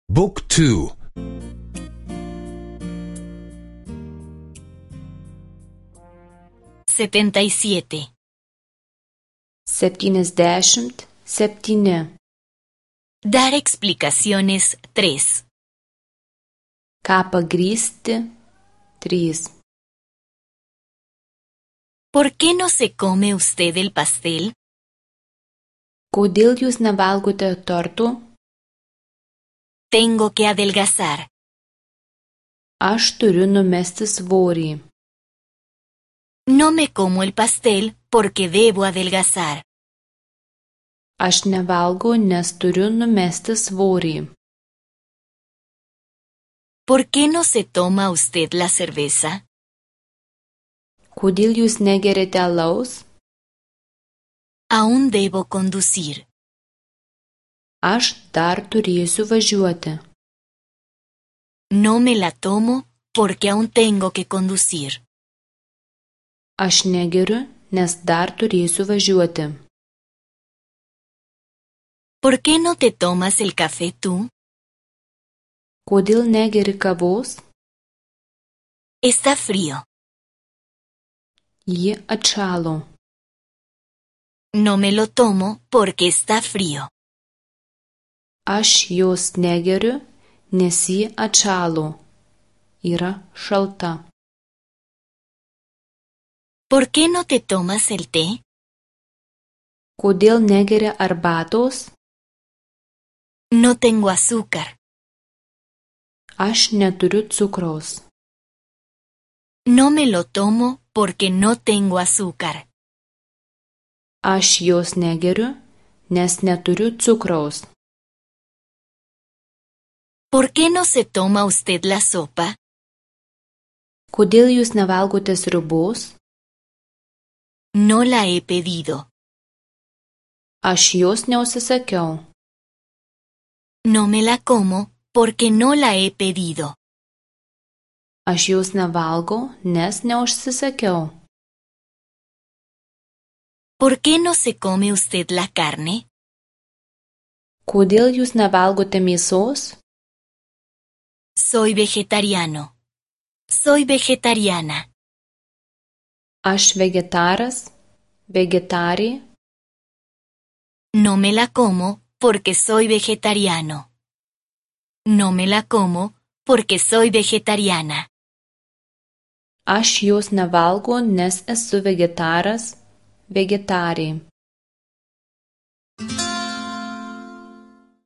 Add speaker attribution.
Speaker 1: Book 2.
Speaker 2: 77.
Speaker 3: 77.
Speaker 2: Dar explicaciones 3.
Speaker 3: Ką pagrįsti 3.
Speaker 2: ¿Por qué no se come usted el pastel?
Speaker 3: Kodėl jūs nevalgote tortų?
Speaker 2: Tengo que adelgazar.
Speaker 3: Aš turiu numesti svorį.
Speaker 2: No me como el pastel porque debo adelgazar.
Speaker 3: Aš nevalgau, nes turiu numesti svorį.
Speaker 2: ¿Por qué no se toma usted la cerveza?
Speaker 3: Kodėl jūs negeriate alaus?
Speaker 2: Aún debo conducir.
Speaker 3: Aš dar turėsiu važiuoti.
Speaker 2: No me la tomo porque aún tengo que conducir.
Speaker 3: Aš negeriu, nes dar turėsiu važiuoti.
Speaker 2: ¿Por qué no te tomas el café tú?
Speaker 3: Kodėl negeri kavos?
Speaker 2: Está frío.
Speaker 3: Ji atšalo.
Speaker 2: No me lo tomo porque está frío.
Speaker 3: Aš jos negeriu, nes ji atšalo. Yra šalta.
Speaker 2: ¿Por qué no te tomas el té?
Speaker 3: Kodėl negeri arbatos?
Speaker 2: No tengo azúcar.
Speaker 3: Aš neturiu cukraus.
Speaker 2: No me lo tomo porque no tengo azúcar.
Speaker 3: Aš jos negeriu, nes neturiu cukraus.
Speaker 2: ¿Por qué no se toma usted la sopa?
Speaker 3: Kodėl jūs nevalgote sriubos?
Speaker 2: No la he pedido.
Speaker 3: Aš jos neužsisakiau.
Speaker 2: No me la como porque no la he pedido.
Speaker 3: Aš jos nevalgau, nes neužsisakiau.
Speaker 2: ¿Por qué no se come usted la carne?
Speaker 3: Kodėl jūs nevalgote mėsos?
Speaker 2: Soy vegetariano. Soy vegetariana.
Speaker 3: Aš vegetaras, vegetarė.
Speaker 2: No me la como porque soy vegetariano. No me la como porque soy vegetariana.
Speaker 3: Aš jos nevalgau, nes esu vegetaras, vegetarė.